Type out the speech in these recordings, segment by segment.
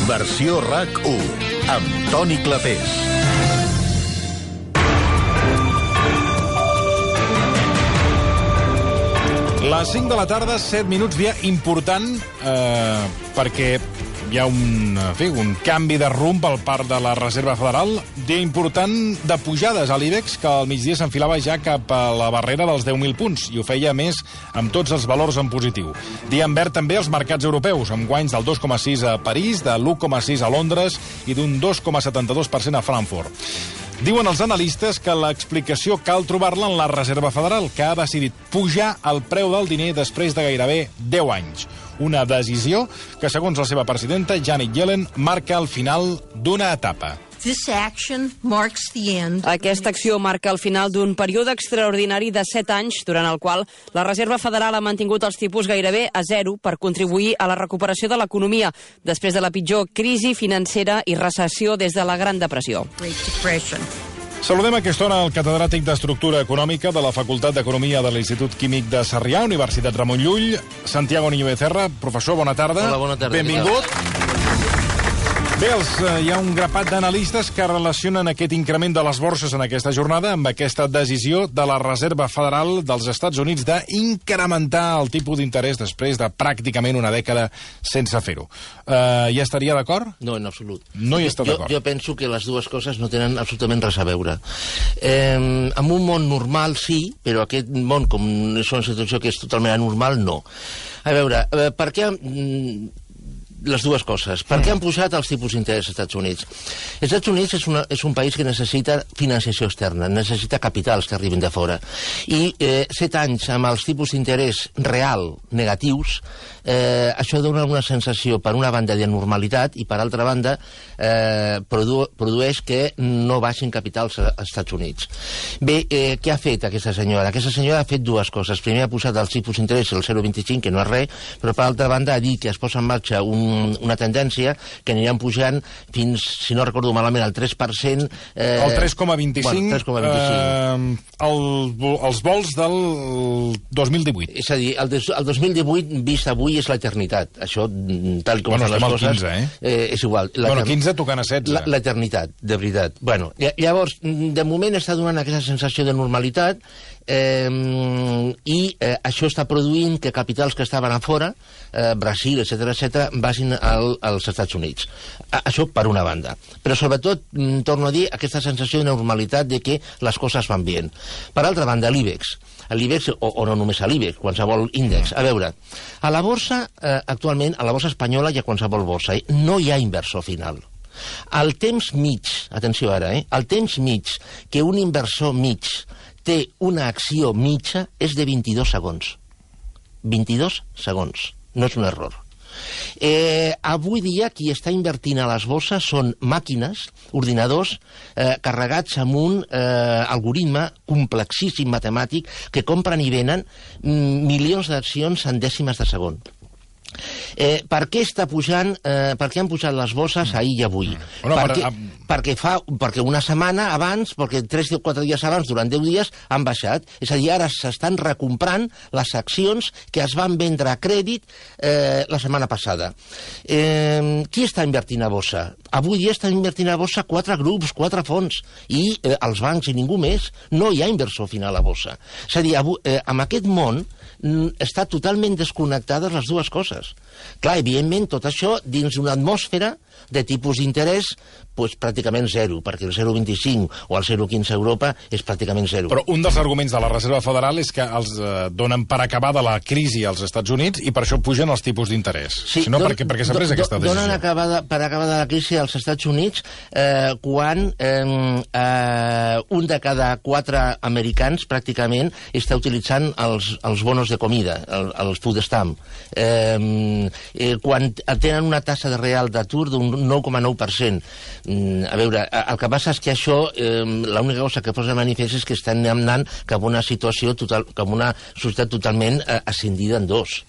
Versió RAC1, amb Toni Clapés. Les 5 de la tarda, 7 minuts, dia important, perquè hi ha un canvi de rumb per part de la Reserva Federal, dia important de pujades a l'IBEX, que al migdia s'enfilava ja cap a la barrera dels 10.000 punts, i ho feia més amb tots els valors en positiu. Dia en verd també els mercats europeus, amb guanys del 2,6 a París, de l'1,6 a Londres i d'un 2,72% a Frankfurt. Diuen els analistes que l'explicació cal trobar-la en la Reserva Federal, que ha decidit pujar el preu del diner després de gairebé 10 anys. Una decisió que, segons la seva presidenta, Janet Yellen, marca el final d'una etapa. Aquesta acció marca el final d'un període extraordinari de 7 anys, durant el qual la Reserva Federal ha mantingut els tipus gairebé a zero per contribuir a la recuperació de l'economia després de la pitjor crisi financera i recessió des de la Gran Depressió. Saludem a aquesta hora el catedràtic d'Estructura Econòmica de la Facultat d'Economia de l'Institut Químic de Sarrià, Universitat Ramon Llull, Santiago Niño Becerra. Professor, bona tarda. Hola, bona tarda. Benvingut. Bé, hi ha un grapat d'analistes que relacionen aquest increment de les borses en aquesta jornada amb aquesta decisió de la Reserva Federal dels Estats Units d'incrementar el tipus d'interès després de pràcticament una dècada sense fer-ho. Hi estaria d'acord? No, en absolut. No hi està d'acord. Jo penso que les dues coses no tenen absolutament res a veure. En un món normal sí, però aquest món, com és una situació que és totalment anormal, no. A veure, per què... Les dues coses. Per què han pujat els tipus d'interès als Estats Units? Els Estats Units és un país que necessita financiació externa, necessita capitals que arribin de fora. I 7 anys amb els tipus d'interès real negatius, això dona una sensació, per una banda, de normalitat i, per altra banda, produeix que no baixin capitals als Estats Units. Bé, què ha fet aquesta senyora? Aquesta senyora ha fet dues coses. Primer ha posat els tipus d'interès al 0,25, que no és res, però, per altra banda, ha dit que es posa en marxa una tendència que aniran pujant fins, si no recordo malament, al 3%... El 3,25, bueno, 3,25. Els vols del 2018. És a dir, el 2018 vist avui és l'eternitat. Això, tal com bueno, fan les coses... 15, és igual. Bueno, 15 tocant a 16. L'eternitat, de veritat. Bueno, llavors, de moment està donant aquesta sensació de normalitat i això està produint que capitals que estaven a fora, Brasil, etc., vagin als Estats Units. Això per una banda. Però sobretot, torno a dir, aquesta sensació de normalitat de que les coses van bé. Per altra banda, l'IBEX, o no només a l'IBEX, qualsevol índex. A veure, a la borsa, actualment, a la borsa espanyola i a qualsevol borsa, no hi ha inversor final. El temps mig, atenció ara, el temps mig que un inversor mig té una acció mitja és de 22 segons. 22 segons. No és un error. Avui dia qui està invertint a les borses són màquines, ordinadors, carregats amb un algoritme complexíssim matemàtic que compren i venen milions d'accions en dècimes de segon. Per què està pujant, per què han pujat les borses ahir i avui? Perquè una setmana abans, perquè 3 o 4 dies abans, durant 10 dies, han baixat. És a dir, ara s'estan recomprant les accions que es van vendre a crèdit la setmana passada. Qui està invertint a borsa? Avui dia estan invertint a borsa 4 grups, 4 fons, i els bancs i ningú més. No hi ha inversor final a borsa. És a dir, en aquest món està totalment desconnectades les dues coses. Clar, evidentment, tot això dins d'una atmosfera de tipus d'interès pràcticament zero, perquè el 0,25 o el 0,15 a Europa és pràcticament zero. Però un dels arguments de la Reserva Federal és que els donen per acabada la crisi als Estats Units i per això pugen els tipus d'interès. Sí, si no, perquè s'ha pres aquesta decisió. Donen per acabada la crisi als Estats Units quan un de cada 4 americans pràcticament està utilitzant els bonos de comida, els food stamp. Quan tenen una tassa de real d'atur d'un 9,9%. A veure, el que passa és que això, l'única cosa que posa de manifest és que estan anant cap a una situació, cap a una societat totalment ascendida en dos.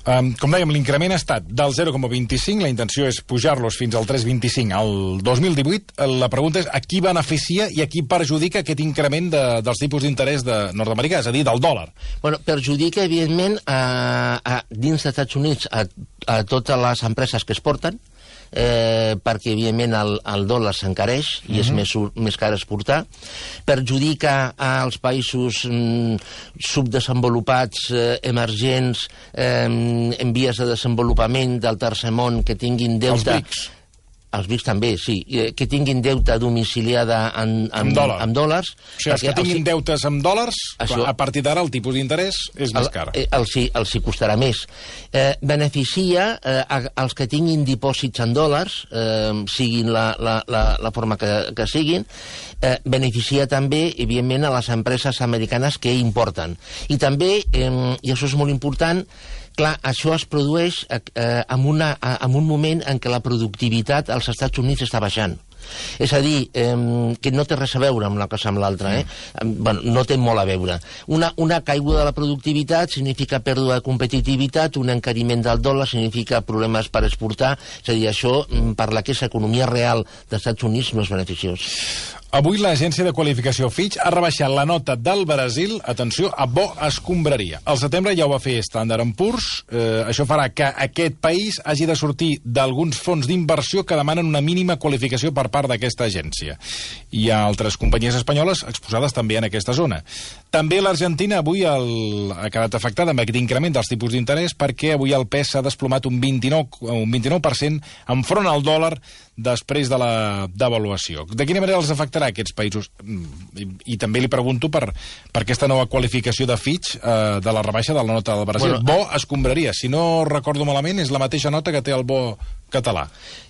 Com dèiem, l'increment ha estat del 0,25, la intenció és pujar-los fins al 3,25 al 2018. La pregunta és a qui beneficia i a qui perjudica aquest increment dels tipus d'interès nord-americà, és a dir, del dòlar. Bueno, perjudica, evidentment, dins dels Estats Units a totes les empreses que exporten, perquè, evidentment, el dòlar s'encareix i és més car exportar. Perjudica als països subdesenvolupats, emergents, en vies de desenvolupament del tercer món, que tinguin deute... Els BRICS. Els BRICS també, sí, que tinguin deute domiciliada amb dòlars. O sigui, els que tinguin deutes amb dòlars, a partir d'ara el tipus d'interès és més car. Els hi costarà més. Beneficia els que tinguin dipòsits en dòlars, siguin la forma que siguin. Beneficia també, evidentment, a les empreses americanes que importen. I també, i això és molt important, clar, això es produeix en un moment en què la productivitat als Estats Units està baixant. És a dir, que no té res a veure amb una cosa amb l'altra, Bueno, no té molt a veure. Una caiguda de la productivitat significa pèrdua de competitivitat, un encariment del dòlar significa problemes per exportar, és a dir, això, per la que és economia real dels Estats Units, no és beneficiós. Avui l'agència de qualificació Fitch ha rebaixat la nota del Brasil, atenció, a bo escombraria. Al setembre ja ho va fer Standard & Poor's. Això farà que aquest país hagi de sortir d'alguns fons d'inversió que demanen una mínima qualificació per part d'aquesta agència. Hi ha altres companyies espanyoles exposades també en aquesta zona. També l'Argentina avui ha quedat afectada amb aquest increment dels tipus d'interès perquè avui el pes s'ha desplomat un 29% enfront al dòlar després de la devaluació. De quina manera els afectarà aquests països? I també li pregunto per aquesta nova qualificació de Fitch de la rebaixa de la nota del Brasil. Bo escombraria. Si no recordo malament, és la mateixa nota que té el bo català.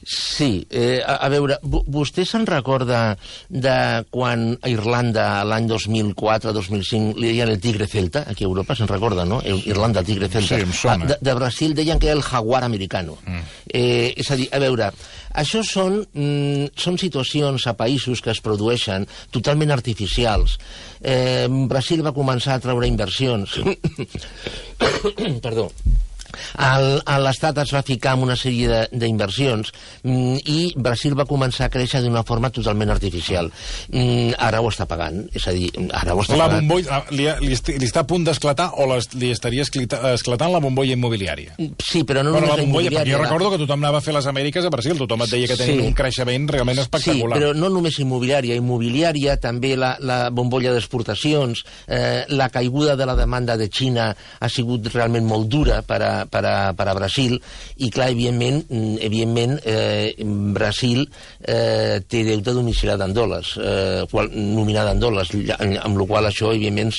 Sí. A veure, vostè se'n recorda de quan a Irlanda, l'any 2004-2005, li deien el tigre celta, aquí a Europa, se'n recorda, no? Irlanda, el tigre celta. Sí, em sona. De Brasil deien que era el jaguar americano. És a dir, a veure, això són situacions a països que es produeixen totalment artificials. Brasil va començar a treure inversions. Perdó. L'Estat es va ficar en una sèrie d'inversions i Brasil va començar a créixer d'una forma totalment artificial. Ara ho està pagant, és a dir, ara ho està pagant. La bombolla li està a punt d'esclatar o li estaria esclatant la bombolla immobiliària? Sí, però no només la immobiliària. Perquè jo recordo que tothom anava a fer les Amèriques a Brasil, tothom et deia que tenien un creixement realment espectacular. Sí, però no només immobiliària, també la bombolla d'exportacions, la caiguda de la demanda de Xina ha sigut realment molt dura per a Brasil, i clar, evidentment Brasil té deute domiciliat en dòlars, nominat en dòlars, amb la qual això evidentment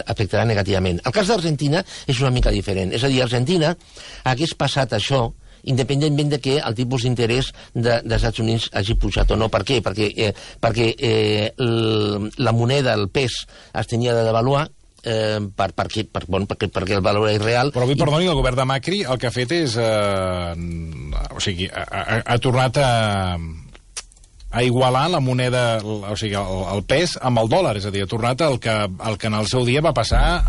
afectarà negativament. El cas d'Argentina és una mica diferent, és a dir, Argentina hagués passat això independentment de que el tipus d'interès dels Estats Units hagi pujat o no. Per què? Perquè la moneda, el pes, es tenia de devaluar perquè el valor és real. Però avui, perdoni, el govern de Macri el que ha fet és ha tornat a igualar la moneda, o sigui, el pes amb el dòlar, és a dir, ha tornat el que en el seu dia va passar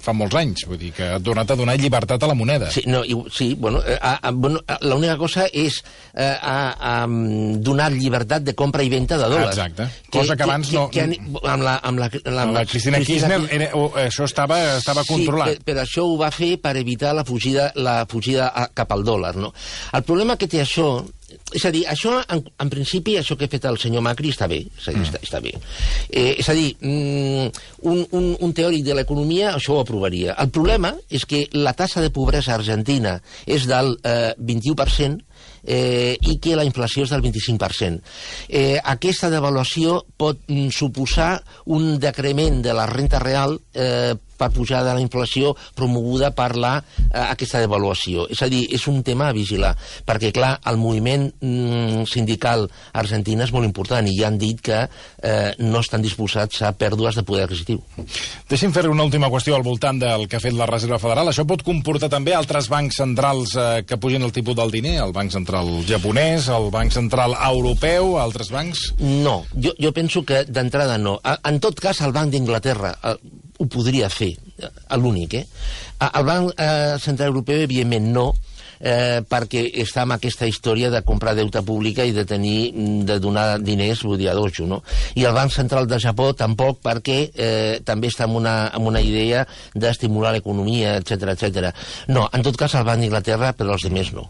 fa molts anys, vull dir que ha tornat a donar llibertat a la moneda. L'única cosa és donar llibertat de compra i venda de dòlars. Exacte, cosa que abans no... Amb la Cristina Kirchner això estava controlat. Sí, però això ho va fer per evitar la fugida cap al dòlar, no? El problema que té això, és a dir, això, en principi, això que ha fet el senyor Macri està bé, està bé. És a dir, un teòric de l'economia això ho aprovaria. El problema és que la taxa de pobresa argentina és del 21%, i que la inflació és del 25%. Aquesta devaluació pot suposar un decrement de la renta real per pujar de la inflació promoguda per aquesta devaluació. És a dir, és un tema a vigilar, perquè, clar, el moviment sindical argentina és molt important i ja han dit que no estan disposats a pèrdues de poder adquisitiu. Deixi'm fer una última qüestió al voltant del que ha fet la Reserva Federal. Això pot comportar també altres bancs centrals que pugin el tipus del diner, el Banc Central japonès, el Banc Central europeu, altres bancs? No, jo penso que d'entrada no. En tot cas, el Banc d'Inglaterra ho podria fer. l'únic. El Banc Central Europeu, evidentment, no, perquè està amb aquesta història de comprar deute pública i de donar diners, vull dir, a dojo, no? I el Banc Central de Japó tampoc, perquè també està amb una idea d'estimular l'economia, etc. No, en tot cas el Banc d'Inglaterra, però els altres no.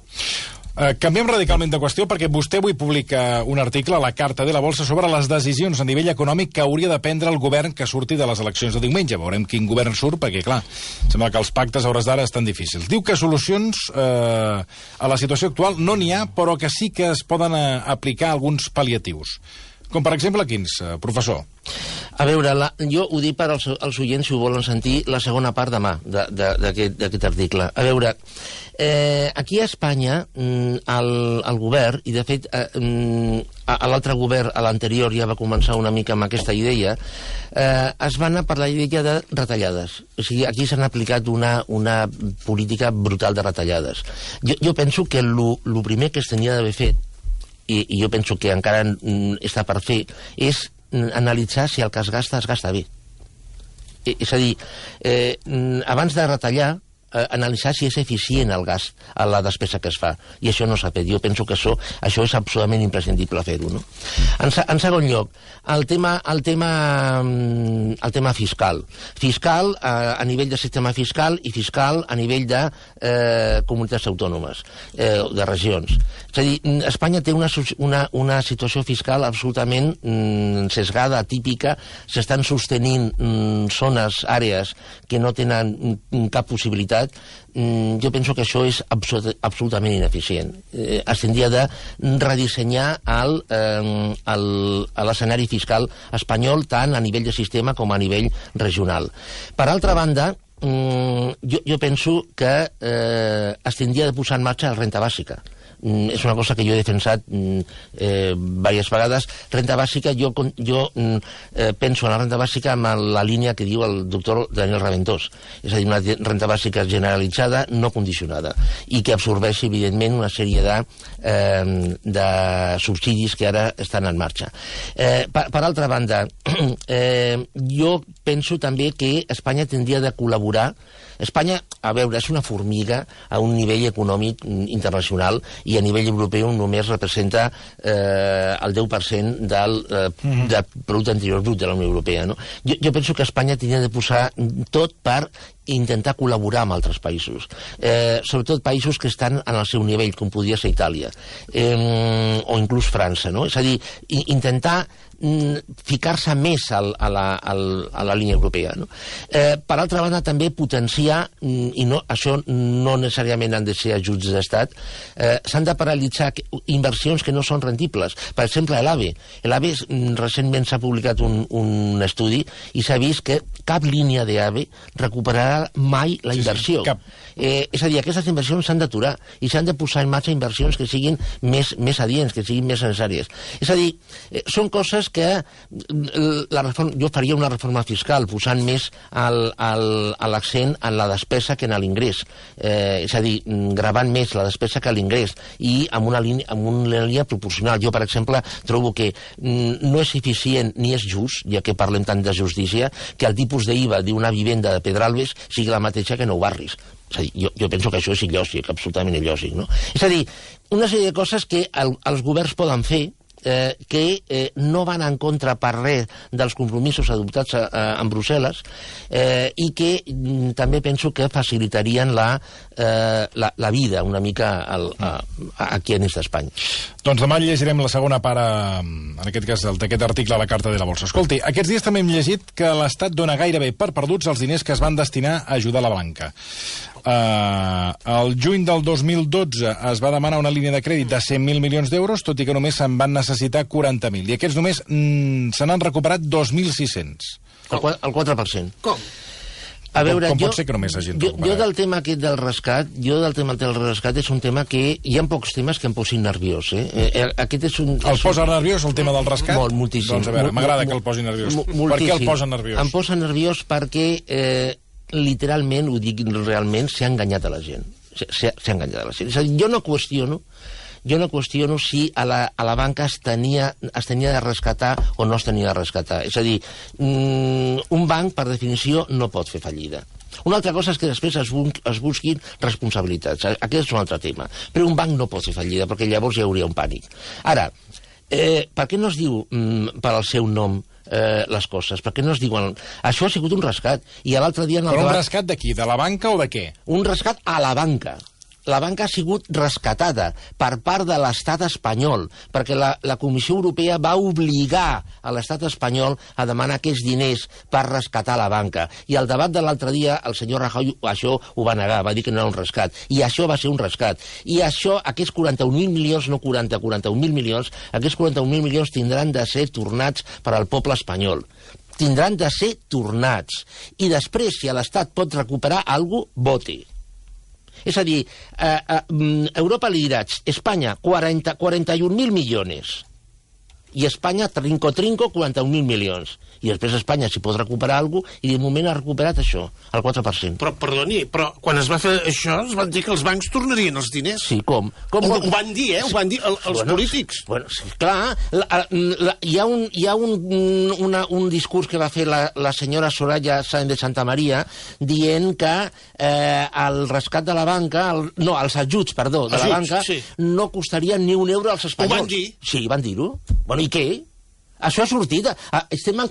Canviem radicalment de qüestió perquè vostè avui publica un article a la Carta de la Bolsa sobre les decisions a nivell econòmic que hauria de prendre el govern que surti de les eleccions de diumenge. Veurem quin govern surt perquè, clar, sembla que els pactes a hores d'ara estan difícils. Diu que solucions a la situació actual no n'hi ha, però que sí que es poden aplicar alguns pal·liatius. Com, per exemple, quins, professor? A veure, jo ho dic per als oients, si ho volen sentir, la segona part demà d'aquest article. A veure, aquí a Espanya, el govern, i de fet l'altre govern, a l'anterior, ja va començar una mica amb aquesta idea, es va anar per la idea de retallades. O sigui, aquí s'han aplicat una política brutal de retallades. Jo penso que el primer que es tenia d'haver fet, i jo penso que encara està per fer, és analitzar si el que es gasta bé. És a dir, abans de retallar, analitzar si és eficient el gast, la despesa que es fa. I això no s'ha fet. Jo penso que això és absolutament imprescindible fer-ho, no? En segon lloc, el tema fiscal. Fiscal a nivell de sistema fiscal i fiscal a nivell de comunitats autònomes, de regions. És a dir, Espanya té una situació fiscal absolutament sesgada, atípica, s'estan sostenint zones, àrees que no tenen cap possibilitat. Jo penso que això és absolutament ineficient. Es tindria de redissenyar l'escenari fiscal espanyol tant a nivell de sistema com a nivell regional. Per altra banda, jo penso que es tindria de posar en marxa la renta bàsica. És una cosa que jo he defensat diverses vegades. Renta bàsica, jo penso en la renta bàsica amb la línia que diu el doctor Daniel Raventós. És a dir, una renta bàsica generalitzada, no condicionada, i que absorbeixi, evidentment, una sèrie de subsidis que ara estan en marxa. Per altra banda, jo penso també que Espanya tindria de col·laborar. Espanya, a veure, és una formiga a un nivell econòmic internacional i a nivell europeu només representa el 10% del producte interior brut de la Unió Europea, no? Jo penso que Espanya tindria de posar tot per intentar col·laborar amb altres països, sobretot països que estan en el seu nivell, com podria ser Itàlia, o inclús França, no? És a dir, intentar ficar-se més a la línia europea, no? Per altra banda, també potenciar, i això no necessàriament han de ser ajuts d'estat, s'han de paralitzar inversions que no són rendibles. Per exemple, l'AVE. L'AVE recentment s'ha publicat un estudi i s'ha vist que cap línia d'AVE recuperarà mai la inversió. És a dir, aquestes inversions s'han d'aturar i s'han de posar en marxa inversions que siguin més adients, que siguin més necessàries. És a dir, són coses que jo faria una reforma fiscal posant més l'accent en la despesa que en l'ingrés. És a dir, gravant més la despesa que l'ingrés i amb una línia proporcional. Jo, per exemple, trobo que no és eficient ni és just, ja que parlem tant de justícia, que el tipus d'IVA d'una vivenda de Pedralbes sigui la mateixa que Nou Barris. És a dir, jo penso que això és il·lògic, absolutament il·lògic, no? És a dir, una sèrie de coses que els governs poden fer que no van en contra per res dels compromisos adoptats en Brussel·les i que també penso que facilitarien la vida una mica aquí a l'est d'Espanya. Doncs demà llegirem la segona part, en aquest cas, d'aquest article a la Carta de la Bolsa. Escolti, aquests dies també hem llegit que l'Estat dona gairebé per perduts els diners que es van destinar a ajudar la banca. Al juny del 2012 es va demanar una línia de crèdit de 100.000 milions d'euros, tot i que només se'n van necessitar 40.000. I aquests només se n'han recuperat 2.600. El 4%. Com? A veure, com pot ser que només hagin recuperat? Jo del tema aquest del rescat, és un tema que hi ha pocs temes que em posin nerviós. Aquest és un... El posa nerviós, el tema del rescat? Molt, moltíssim. Doncs a veure, m'agrada que el posi nerviós. Per què el posa nerviós? Em posa nerviós perquè, literalment, ho dic realment, s'ha enganyat a la gent. S'ha enganyat a la gent. És a dir, jo no qüestiono si a la banca es tenia de rescatar o no es tenia de rescatar. És a dir, un banc, per definició, no pot fer fallida. Una altra cosa és que després es busquin responsabilitats. Aquest és un altre tema. Però un banc no pot fer fallida, perquè llavors hi hauria un pànic. Ara, per què no es diu per al seu nom les coses? Per què no es diuen... Això ha sigut un rescat. I l'altre dia... Però un rescat de qui? De la banca o de què? Un rescat a la banca. La banca ha sigut rescatada per part de l'estat espanyol, perquè la Comissió Europea va obligar a l'estat espanyol a demanar aquests diners per rescatar la banca. I al debat de l'altre dia, el senyor Rajoy això ho va negar, va dir que no era un rescat. I això va ser un rescat. I això, aquests 41.000 milions, no 41.000 milions, aquests 41.000 milions tindran de ser tornats per al poble espanyol. Tindran de ser tornats. I després, si l'Estat pot recuperar alguna cosa, voti. És a dir, Europa li dirà, Espanya, 41.000 milions. I Espanya, trinco, 41.000 milions. I després Espanya, si pot recuperar alguna cosa, i de moment ha recuperat això, el 4%. Però, perdoni, però quan es va fer això, es van dir que els bancs tornarien els diners. Sí, com? Ho van dir, Ho van dir els polítics. Bueno, sí, clar, hi ha un discurs que va fer la senyora Soraya Sáenz de Santamaría dient que el rescat de la banca, els ajuts, perdó, de la banca, no costarien ni un euro als espanyols. Ho van dir? Sí, van dir-ho. Bueno, i què? Això ha sortit. Estem en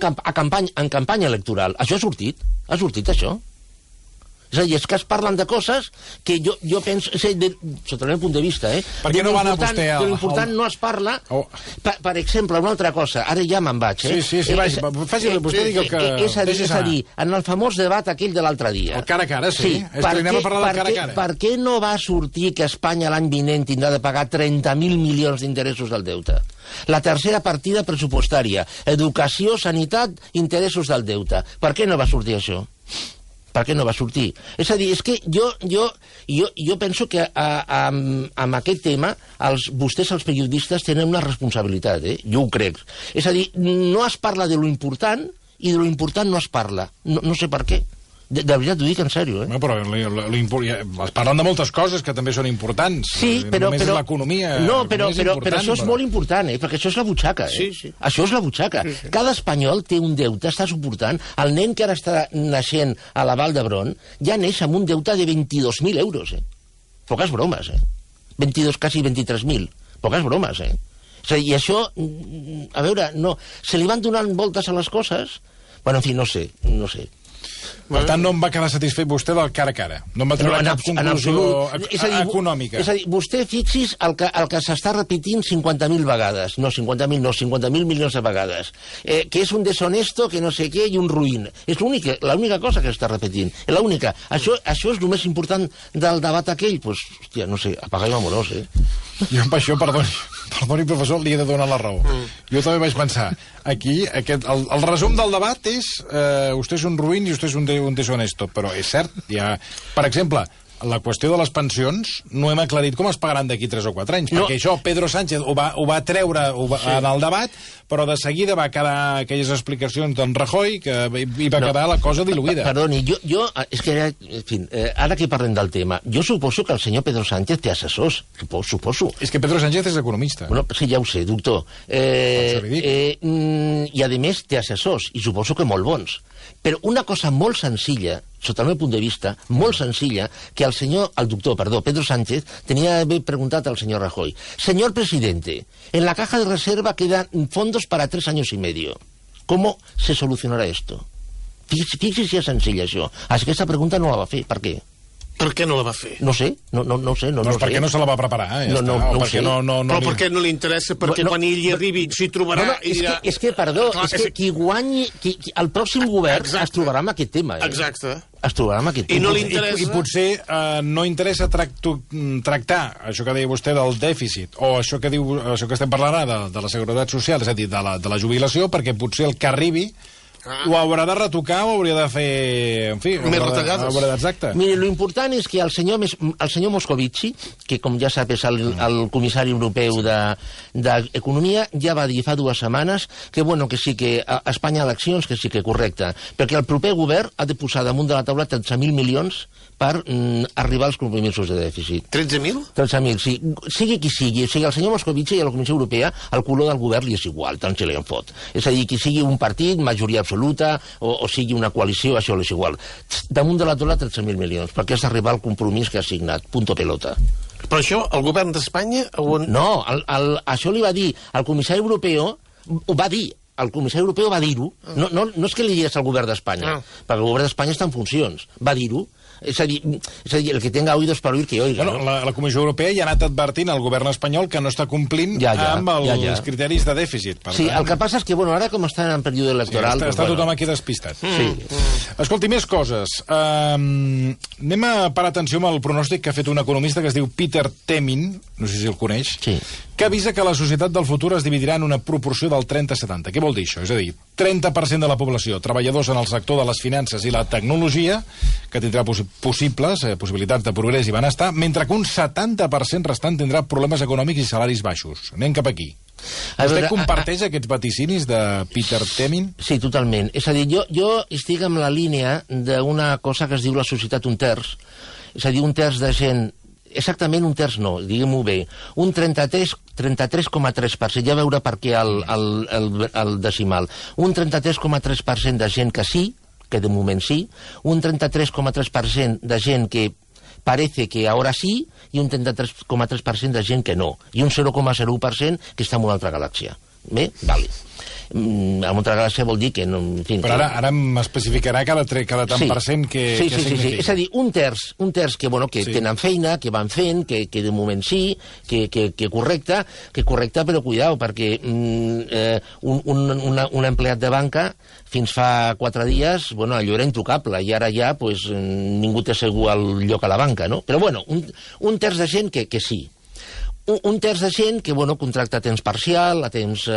campanya electoral. Això ha sortit. Ha sortit, això. És a dir, és que es parlen de coses que jo penso... Sota el meu punt de vista, Per què no va anar vostè De l'important no es parla... Per exemple, una altra cosa. Ara ja me'n vaig, Sí, vaig. Vostè digui el que... És a dir, en el famós debat aquell de l'altre dia... El cara a cara, sí. És que anem a parlar del cara a cara. Per què no va sortir que Espanya l'any vinent tindrà de pagar 30.000 milions d'interessos del deute? La tercera partida pressupostària. Educació, sanitat, interessos del deute. Per què no va sortir això? Per què no va sortir? És a dir, és que jo penso que amb aquest tema vostès, els periodistes, tenen una responsabilitat, jo ho crec. És a dir, no es parla de lo important i de lo important no es parla. No sé per què. De veritat, ho dic en sèrio, No, però es parlen de moltes coses que també són importants. Sí, però... Només l'economia... No, però això és molt important, perquè això és la butxaca, Sí. Això és la butxaca. Sí. Cada espanyol té un deute, està suportant... El nen que ara està naixent a la Vall d'Hebron ja neix amb un deute de 22.000 euros, Poques bromes, 22, quasi 23.000. Poques bromes, I això, a veure, no... Se li van donant voltes a les coses... Bueno, en fi, no sé. Per tant, no em va quedar satisfet vostè del cara a cara. No em va treure cap conclusió econòmica. És a dir, vostè fixis el que s'està repetint 50.000 vegades. No, 50.000 no, 50.000 milions de vegades. Que és un deshonesto, que no sé què, i un ruïn. És l'única cosa que s'està repetint. L'única. Això és el més important del debat aquell. Doncs, hòstia, no sé, apaga i amorós, Jo amb això, perdoni, professor, li he de donar la raó. Jo també vaig pensar, aquí, el resum del debat és vostè és un ruïn i vostè és un deshonesto, però és cert, per exemple, la qüestió de les pensions no hem aclarit com es pagaran d'aquí 3 o 4 anys, perquè això Pedro Sánchez ho va treure en el debat, però de seguida va quedar aquelles explicacions d'en Rajoy que hi va quedar la cosa diluïda. Perdoni, jo és que, en fi, ara que parlem del tema, jo suposo que el senyor Pedro Sánchez té assessors, suposo. És que Pedro Sánchez és economista. Bueno, sí, ja ho sé, doctor. I a més té assessors, i suposo que molt bons. Però una cosa molt senzilla, sota el meu punt de vista, molt senzilla, que el doctor Pedro Sánchez tenia d'haver preguntat al senyor Rajoy. Señor presidente, en la caja de reserva quedan fondos para 3 años y medio. ¿Cómo se solucionará esto? Fixi si és senzill això. Aquesta pregunta no la va fer. Per què? Per què no la va fer? No sé, no sé. Doncs perquè no se la va preparar, No ho sé. Però per què no li interessa? Perquè quan ell hi arribi s'hi trobarà... És que, perdó, qui guanyi... El pròxim govern es trobarà amb aquest tema. Exacte. Es trobarà amb aquest tema. I no li interessa... I potser no interessa tractar això que deia vostè del dèficit, o això que estem parlant ara de la Seguretat Social, és a dir, de la jubilació, perquè potser el que arribi ho haurà de retocar o hauria de fer... En fi, més retallades. Exacte. Mire, lo important és que el senyor Moscovici, que com ja sap és el comissari europeu d'Economia, ja va dir fa 2 setmanes que sí que a Espanya eleccions, que sí que correcte, perquè el proper govern ha de posar damunt de la taula 13.000 milions per arribar als compromisos de dèficit. 13.000? 13.000, sí. Sigui qui sigui. O sigui, al senyor Moscovici i a la Comissió Europea el color del govern li és igual, tant se li en fot. És a dir, qui sigui un partit, majoria absoluta, o sigui una coalició, això li és igual. Damunt de la taula 13.000 milions, perquè has d'arribar al compromís que ha signat. Punto pelota. Però això, el govern d'Espanya... No, això li va dir el comissari europeu, ho va dir. El comissari europeu va dir-ho. No és que li digués al govern d'Espanya, perquè el govern d'Espanya està en funcions. Va dir-ho. És a dir, el que tenga oídos para oír que oiga. Bueno, la Comissió Europea ja ha anat advertint al govern espanyol que no està complint amb els criteris de dèficit. Sí, el que passa és que, ara com estan en període electoral... Sí, està tothom aquí despistat. Sí. Escolti, més coses. Anem a parar atenció amb el pronòstic que ha fet un economista que es diu Peter Temin, no sé si el coneix, que avisa que la societat del futur es dividirà en una proporció del 30-70. Què vol dir això? És a dir, 30% de la població, treballadors en el sector de les finances i la tecnologia, que tindrà possibilitats de progrés i benestar, mentre que un 70% restant tindrà problemes econòmics i salaris baixos. Anem cap aquí. Vostè comparteix aquests vaticinis de Peter Temin? Sí, totalment. És a dir, jo estic en la línia d'una cosa que es diu la societat un terç. És a dir, un terç de gent... Exactament un terç no, diguem-ho bé. Un 33,3%, ja veure per què el decimal. Un 33,3% de gent que sí, que de moment sí, un 33,3% de gent que parece que ahora sí, i un 33,3% de gent que no, i un 0,01% que està en una altra galàxia. Bé? Vale. En una altra galàxia vol dir que... No, en fi, però ara m'especificarà cada tant per cent que significa. Sí. És a dir, un terç que tenen feina, que van fent, que de moment sí, que correcte, però cuidao, perquè un empleat de banca fins fa 4 dies, allò era intocable, i ara ja ningú té segur el lloc a la banca, no? Però un terç de gent que sí. Un terç de gent que, contracta a temps parcial, a temps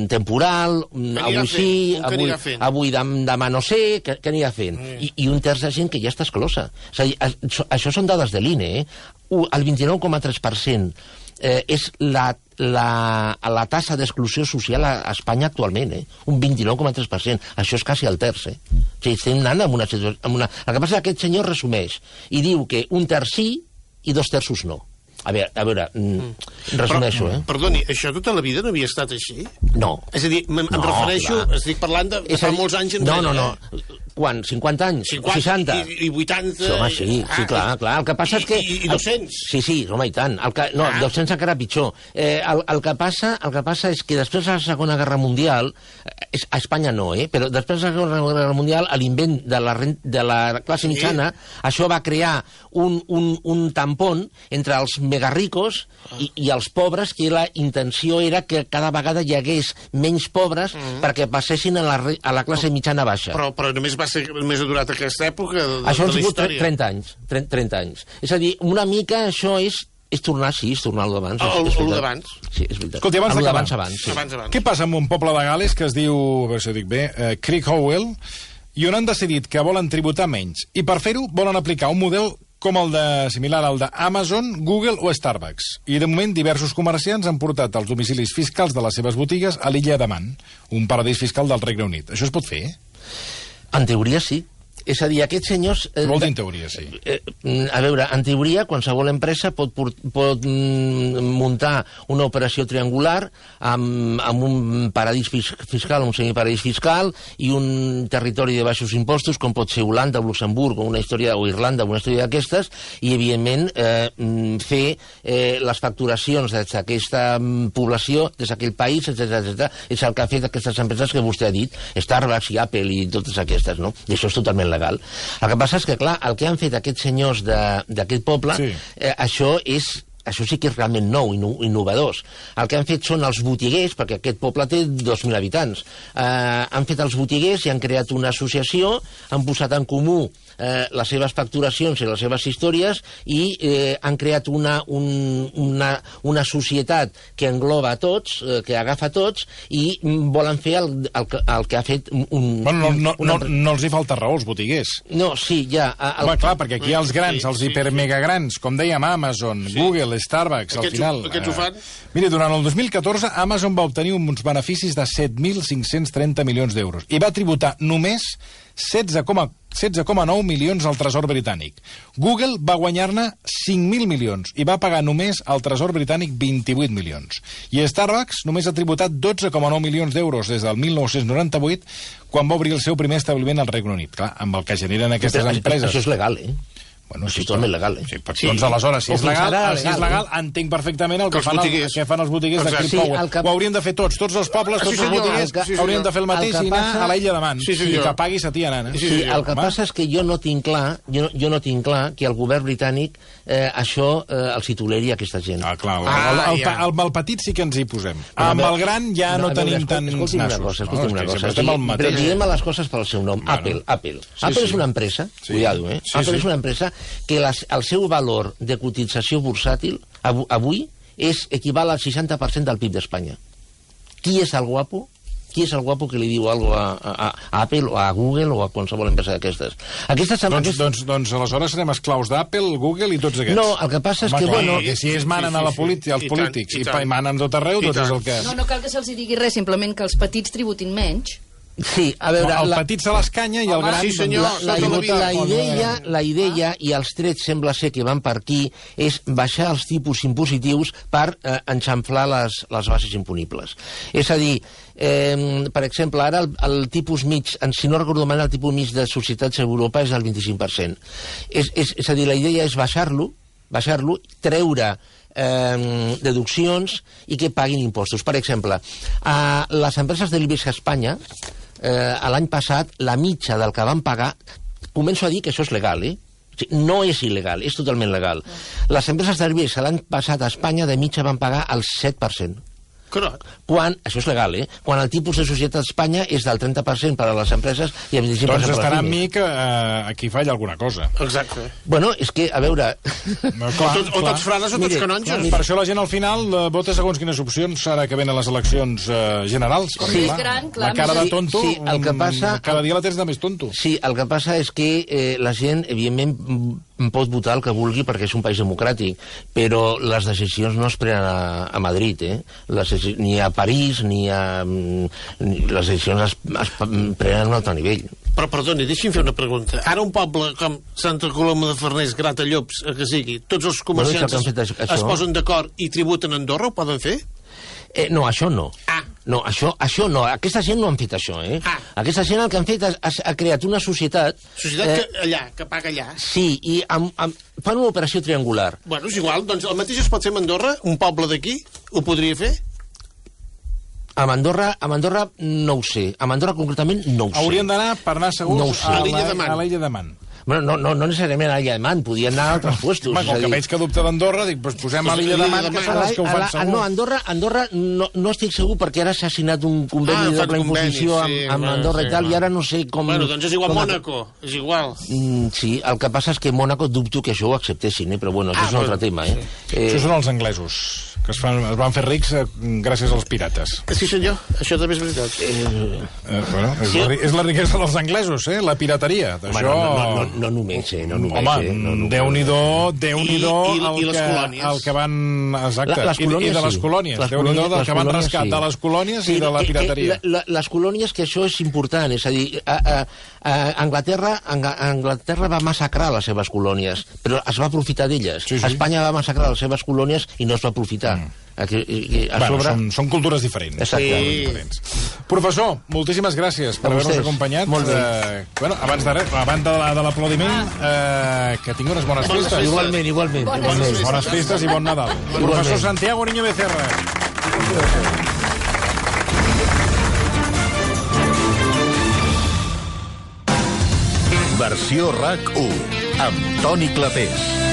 temporal, avui sí, avui demà no sé, què anirà fent? I un terç de gent que ja està exclosa. És a dir, això són dades de l'INE, El 29,3% és la tassa d'exclusió social a Espanya actualment, un 29,3%. Això és quasi el terç, O sigui, estem anant en una situació... El que passa és que aquest senyor resumeix i diu que un terç sí i 2 terços no. A veure, resumeixo, Perdoni, això tota la vida no havia estat així? No. És a dir, em refereixo, estic parlant de fa molts anys enrere. No. Quan? 50 anys? 60? I 80? Home, sí, clar. El que passa és que... I 200? Sí, home, i tant. 200 encara pitjor. El que passa és que després de la Segona Guerra Mundial, a Espanya no, però després de la Segona Guerra Mundial, l'invent de la classe mitjana, això va crear un tampón entre els megarricos i els pobres, que la intenció era que cada vegada hi hagués menys pobres perquè passessin a la classe mitjana baixa. Però només va ser més durat aquesta època de la història. Això han sigut 30 anys. És a dir, una mica això és tornar al d'abans. El d'abans. Sí, és veritat. Escolti, abans d'acabar, abans. Què passa amb un poble de Gales que es diu, a veure si ho dic bé, Crickhowell, i on han decidit que volen tributar menys, i per fer-ho volen aplicar un model com similar al d'Amazon, Google o Starbucks. I de moment diversos comerciants han portat els domicilis fiscals de les seves botigues a l'illa de Man, un paradís fiscal del Regne Unit. Això es pot fer? En teoria sí. És a dir, aquests senyors... Què vol dir en teoria, sí? A veure, en teoria, qualsevol empresa pot muntar una operació triangular amb un paradís fiscal, un semiparadís fiscal, i un territori de baixos impostos, com pot ser Holanda o Luxemburg, o Irlanda, una història d'aquestes, i, evidentment, fer les facturacions des d'aquesta població, des d'aquell país, etc. És el que ha fet aquestes empreses que vostè ha dit, Starbucks i Apple i totes aquestes, no? I això és totalment legal. El que passa és que, clar, el que han fet aquests senyors d'aquest poble, això sí que és realment nou, innovadors. El que han fet són els botiguers, perquè aquest poble té 2.000 habitants. Han fet els botiguers i han creat una associació, han posat en comú les seves facturacions i les seves històries i han creat una societat que engloba a tots, que agafa a tots, i volen fer el que ha fet no els hi falta raó, els botiguers. No, sí, ja... Home, clar, perquè aquí els grans, els hipermegagrans, com dèiem, Amazon, Google, Starbucks, al final... Aquests ho fan? Mira, durant el 2014, Amazon va obtenir uns beneficis de 7.530 milions d'euros i va tributar només 16,4 16,9 milions al Tresor britànic. Google va guanyar-ne 5.000 milions i va pagar només al Tresor britànic 28 milions. I Starbucks només ha tributat 12,9 milions d'euros des del 1998, quan va obrir el seu primer establiment al Regne Unit. Clar, amb el que generen aquestes empreses... Això és legal, Bueno, sí, és totalment legal, Sí, doncs aleshores, si és legal, entenc perfectament el que fan els botiguers de Crip Power. Ho haurien de fer tots els pobles, tots els botiguers, haurien de fer el mateix i anar a l'Illa de Man. I que paguis a ti anant. Sí, el que passa és que jo no tinc clar que el govern britànic això els hi toleri a aquesta gent. Ah, clar, amb el petit sí que ens hi posem. Amb el gran ja no tenim tants nassos. Escolti'm una cosa, diem a les coses pel seu nom. Apple és una empresa, cuidado, Apple és una empresa que el seu valor de cotització bursàtil avui equival al 60% del PIB d'Espanya. Qui és el guapo? Qui és el guapo que li diu alguna cosa a Apple o a Google o a qualsevol empresa d'aquestes? Doncs aleshores serem esclaus d'Apple, Google i tots aquests. No, el que passa és que... Si ells manen als polítics i manen tot arreu, tot és el que... No cal que se'ls digui res, simplement que els petits tributin menys. Sí, a veure... El petit se l'escanya i el gran... Sí, senyor, la idea, i els trets sembla ser que van per aquí, és baixar els tipus impositius per enxamflar les bases imponibles. És a dir, per exemple, ara el tipus mig, si no recordo mal, el tipus mig de societats a Europa és del 25%. És a dir, la idea és baixar-lo, treure deduccions i que paguin impostos. Per exemple, a les empreses de l'IBEX a Espanya, l'any passat, la mitja del que van pagar, començo a dir que això és legal, no és il·legal, és totalment legal. Les empreses de l'IBEX l'any passat a Espanya de mitja van pagar el 7%. Quan, això és legal, quan el tipus de societat a Espanya és del 30% per a les empreses i el 25% per a les pimes. Doncs estarà amb mi que aquí falla alguna cosa. Exacte. Bueno, és que, a veure... O tots frares o tots canonges. Per això la gent al final vota segons quines opcions ara que venen les eleccions generals. Sí, la cara de tonto, el que passa... cada dia la tens de més tonto. Sí, el que passa és que la gent, evidentment, pot votar el que vulgui perquè és un país democràtic, però les decisions no es prenen a Madrid, ni a París, les decisions es prenen a un altre nivell. Però, perdoni, deixi'm fer una pregunta. Ara un poble com Santa Coloma de Farners, Gratallops, que sigui, tots els comerciants es posen d'acord i tributen a Andorra, ho poden fer? No, això no. No, això no. Aquesta gent no han fet això, Aquesta gent el que han fet ha creat una societat... Societat que paga allà. Sí, i fan una operació triangular. Bueno, és igual, doncs el mateix es pot fer a Andorra, un poble d'aquí, ho podria fer? A Andorra no ho sé. A Andorra concretament no ho sé. Haurien d'anar, per anar segurs, a l'Illa de Man. Bueno, no necessàriament a l'Illa de Man, podien anar a altres puestos. Com que veig que dubta d'Andorra, dic, posem a l'Illa de Man, que són els que ho fan segur. No, Andorra no estic segur perquè ara s'ha signat un conveni de doble imposició amb Andorra i tal, i ara no sé com... Bueno, doncs és igual Mònaco, és igual. Sí, el que passa és que Mònaco dubto que això ho acceptessin, però bueno, això és un altre tema, Això són els anglesos, que es van fer rics gràcies als pirates. Sí, senyor, això també és veritat. És la riquesa dels anglesos, la pirateria. No només, Home, Déu-n'hi-do el que van... Exacte, i de les colònies. Déu-n'hi-do del que van rescat de les colònies i de la pirateria. Les colònies, que això és important, és a dir, Anglaterra va massacrar les seves colònies, però es va aprofitar d'elles. Espanya va massacrar les seves colònies i no es va aprofitar. Són cultures diferents. Exacte. Professor, moltíssimes gràcies per haver-nos acompanyat. Molt bé. Abans de l'aplaudiment, que tingui unes bones festes. Igualment. Bones festes i bon Nadal. Professor Santiago Niño Becerra. Versió RAC 1 amb Toni Clapés.